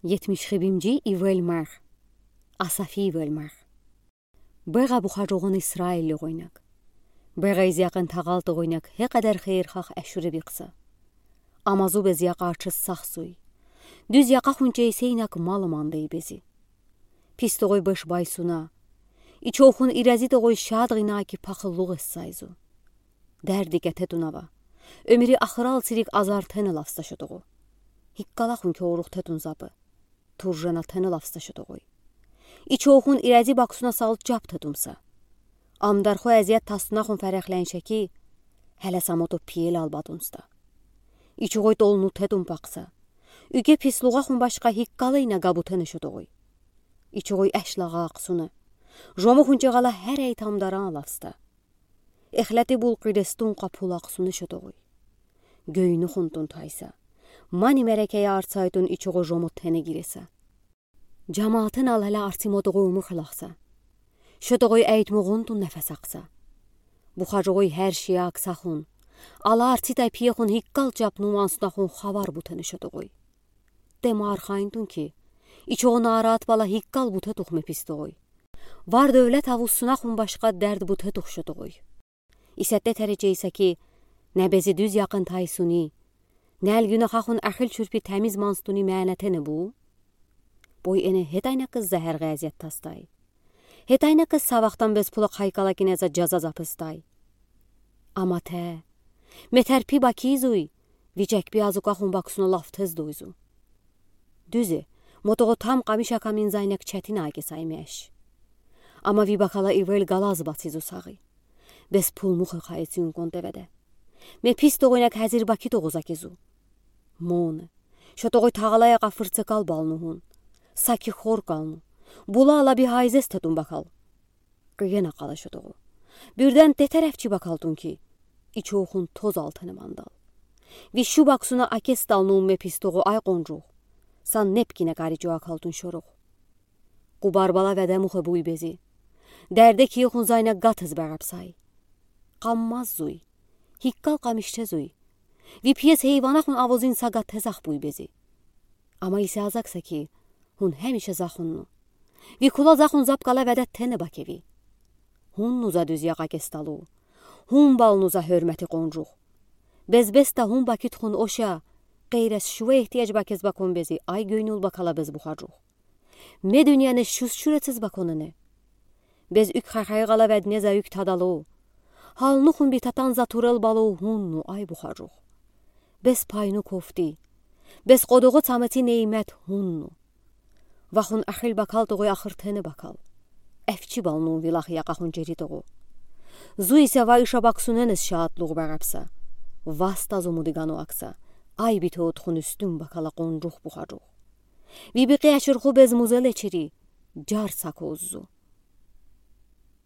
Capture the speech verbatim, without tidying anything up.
Етмиш хибимжи ивелмар. Асафи ивелмар. Бегъа бухаржугъун Исраиллигойнак. Бегъа из яқын тағалтугойнак хекъедер хейрхах эшюреб ихса. Ама зу без яқарчыс сахзуй. Дуьз яқахун чейсейнак мал мандей бези. Пистугой беш байсуна. Ичохун ирезитугой шадгъина ки пахыллугъ эссайзу. Дерди кететунава. Омири ахырал сирик азар тене лавста шотугу. Хиккалахун ки орух тетун запы. Туржена тене лавста шотугой. Ичохун ирези баксуна салчап тетумса. Амдарху эзият тастунахун ферехленше ки, хеле самоту пиел албатунста. Ичогой толну тетун пакса. Уьге пислугъахун башка хиккалайна габу тене шотугой. Ичогой эшлагъа аксуна. Жомухун чегъала херей тамдаран лавста. Эхлети булкъирестун къапулакъсуна шотугой. Гёйнухунтун тайса. Мани мерекея арцайтун ичогой жому тене гиреса. Жамаатын алала арцимодугой умух лахса. Шотугой эйтмугъунтун нефес акса. Бухаржугой хер шия аксахун. Ала арцитай пиехун хиккал чапну мансунахун хабар бутене шотугой. Дема архайнтун ки, ичогъун арат бала хиккал бутетух ме пистугой. Вар девлет авуссунахун башка дерд бутетух шотугой. Исетте теречейса ки, не бези дуьз яқын тайсуни, не эл гюнахахун ахил чурпи темиз манстуни менетене бу. Бой эне хетайна кыз захер гъазет тастай. Хетайна кыз савахтан бес пула хайкала кинеза жаза запыстай. Ама те, метерпи бакизуй, вичекпи азукахун баксуна лафтез дойзу. Дуьзе, мотогъо там къамиш акамин зайнек четин аки саймеш. Ама ви бакала ивел галаз бацизу сагъи. Бес пул мухе хайцин контеведе. Ме пистугойнак хазир бакитугъуз акизу. Моне. Шотугой тағалай ака фырцекал балну хун. Саки хор калну. Була ала би хайзес тетун бакал. Къыена къала шотугу. Бирден тетер эфчи бакалтун ки. Ичохун тоз алтыны мандал. Ви шу баксуна акес талну ме пистугу ай къонжух. Сан непкине кари чуакалтун шорух. Къубар бала веде мухе буй бези. Дерде киехун зайна гатез багапсай. Къаммаз зуй. Хиккал къамишче зуй. Ви пиес хейванахун авозин сага тезах буй бези. Ама исе азакса ки, хун хемише захунну. Ви кула захун запкала веде тене бакеви. Хунну за дуьз яка кесталу. Хун балну за хёрмети къонжух. Бес-бес та хун бакитхун оша, къейрес шува ихтияж бакез бакон бези, ай гёйнюл бакала бес бухаржух. Ме дуьньяне шуз шурецез баконене. Бес уьк хахай гъала ведне за уьк тадалу. Халнухун би татан за турел балу хунну ай бухаржух. Бес пайну кофти. Бес къодугъу цамеци неймет хунну. Вахун ахил бакал тогъой ахыр тене бакал. Эфчи балну вилах якахун жери тогъу. Зу исе ва иша баксуненез шаатлугъ багапса. Васта зумуди гану акса. Ай бите отхун уьстюн бакала къонжух бухаржух. Ви бикъи ашырху бес музел эчери, жар сакуззу.